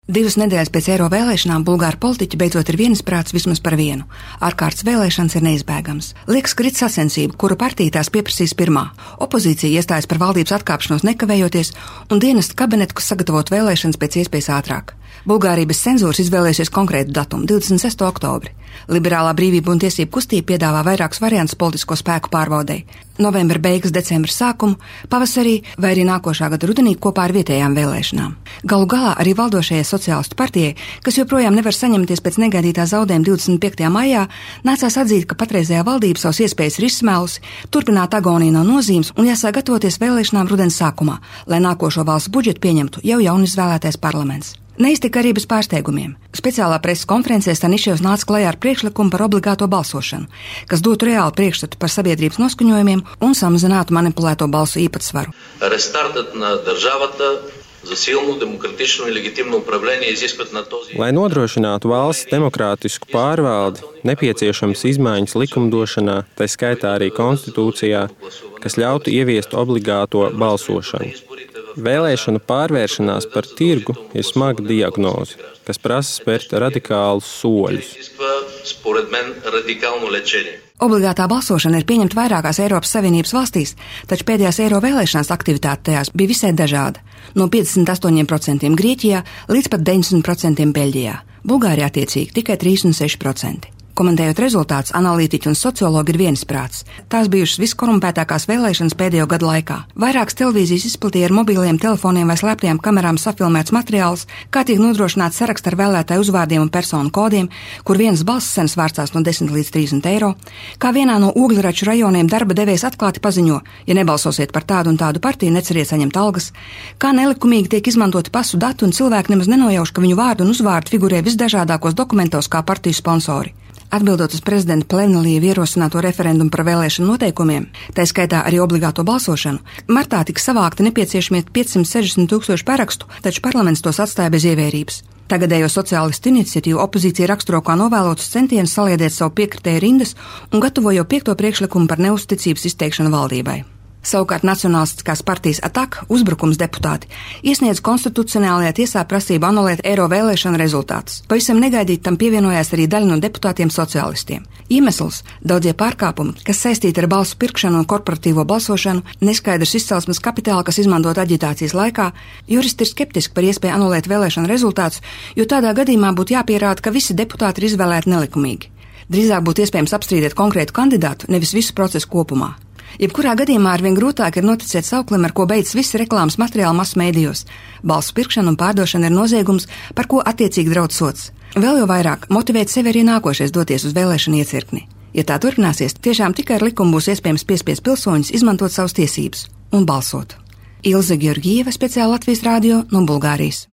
2 nedēļas pēc Eiro vēlēšanām bulgāru politiķi beidzot ir vienisprāts vismaz par vienu. Ārkārtas vēlēšanas ir neizbēgamas. Liekas, ka rit sacensība, kuru partija tās pieprasīs pirmā. Opozīcija iestājas par valdības atkāpšanos nekavējoties un dienestu kabinetu, kas sagatavot vēlēšanas pēc iespējas ātrāk. Bulgārija bez cenzūras izvēlējusies konkrētu datumu – 26. oktobri. Liberālā brīvība un tiesību kustība piedāvā vairākus variantus politisko spēku pārbaudei. Novembra beigas, decembra sākumu, pavasarī vai arī nākošā gada rudenī kopā ar vietējām vēlēšanām. Galu galā arī valdošajai sociālistu partijai, kas joprojām nevar saņemties pēc negaidītā zaudējuma 25. maijā, nācās atzīt, ka patreizējā valdība savas iespējas ir izsmēlusi, turpināt agoniju nav nozīmes un jāsāk gatavoties vēlēšanām rudens sākumā, lai nākošo valsts budžetu pieņemtu jau jaunizvēlētais parlaments. Neiztika arī bez pārsteigumiem. Speciālā preses konferencē Staniševs nāca klajā ar priekšlikumu par obligāto balsošanu, kas dotu reāli priekšstatu par sabiedrības noskaņojumiem un samazinātu manipulēto balsu īpatsvaru. Lai nodrošinātu valsts demokrātisku pārvaldi, nepieciešams izmaiņas likumdošanā, tā skaitā arī konstitūcijā, kas ļautu ieviest obligāto balsošanu. Vēlēšanu pārvēršanās par tirgu ir smaga diagnoze, kas prasa spērt radikālus soļus. Obligātā balsošana ir pieņemta vairākās Eiropas Savienības valstīs, taču pēdējās Eiro vēlēšanās aktivitāte tajās bija visai dažāda. No 58% Grieķijā līdz pat 90% Beļģijā. Bulgārijā attiecīgi tikai 36%. Komentējot rezultātus, analītiķi un sociologi ir vienisprāts. Tās bijušas viskorumpētākās vēlēšanas pēdējo gadu laikā. Vairākas televīzijas izplatīja ar mobiliem telefoniem vai slēptajām kamerām safilmēts materiāls, kā tiek nodrošināts saraksts ar vēlētāju uzvārdiem un personu kodiem, kur vienas balss cenas vārstās no 10 līdz 30 eiro, kā vienā no Ogļraču rajoniem darba devējs atklāti paziņo, ja nebalsosiet par tādu un tādu partiju, neceriet saņemt algas, kā nelikumīgi tiek izmantoti pasu dati un cilvēki nemaz nenojauš, ka viņu vārdu un uzvārdu figurē visdažādākos dokumentos kā partiju sponsori. Atbildot uz prezidenta Plenelīva ierosināto referendumu par vēlēšanu noteikumiem, tā skaitā arī obligāto balsošanu, martā tika savākti nepieciešamie 560 000 parakstu, taču parlaments tos atstāja bez ievērības. Tagadējo sociālistu iniciatīvu opozīcija raksturo kā novēlotus centienus saliedēt savu piekritēju rindas un gatavo jau 5. priekšlikumu par neuzticības izteikšanu valdībai. Savukārt Nacionālistiskās partijas ATAK uzbrukums deputāti iesniedz konstitucionālajā tiesā prasību anulēt Eiro vēlēšanu rezultātus. Pavisam negaidīt tam pievienojās arī daļa no deputātiem sociālistiem. Iemesls – daudzie pārkāpumi, kas saistīti ar balsu pirkšanu un korporatīvo balsošanu, neskaidrs izcelsmes kapitāla, kas izmantot aģitācijas laikā. Juristi ir skeptiski par iespēju anulēt vēlēšanu rezultātus, jo tādā gadījumā būtu jāpierāda, ka visi deputāti ir izvēlēti nelikumīgi. Drīzāk būtu iespējams apstrīdēt konkrētu kandidātu, nevis visu procesu kopumā. Jebkurā gadījumā arvien grūtāk ir noticēt sauklim, ar ko beidzas visi reklāmas materiāli masu mēdījos. Balsu pirkšana un pārdošana ir noziegums, par ko attiecīgi draudz sods. Vēl jau vairāk motivēt sevi arī nākošais doties uz vēlēšanu iecirkni. Ja tā turpināsies, tiešām tikai ar likumu būs iespējams piespiest pilsoņus izmantot savas tiesības un balsot. Ilze Georgieva, speciāli Latvijas radio no Bulgārijas.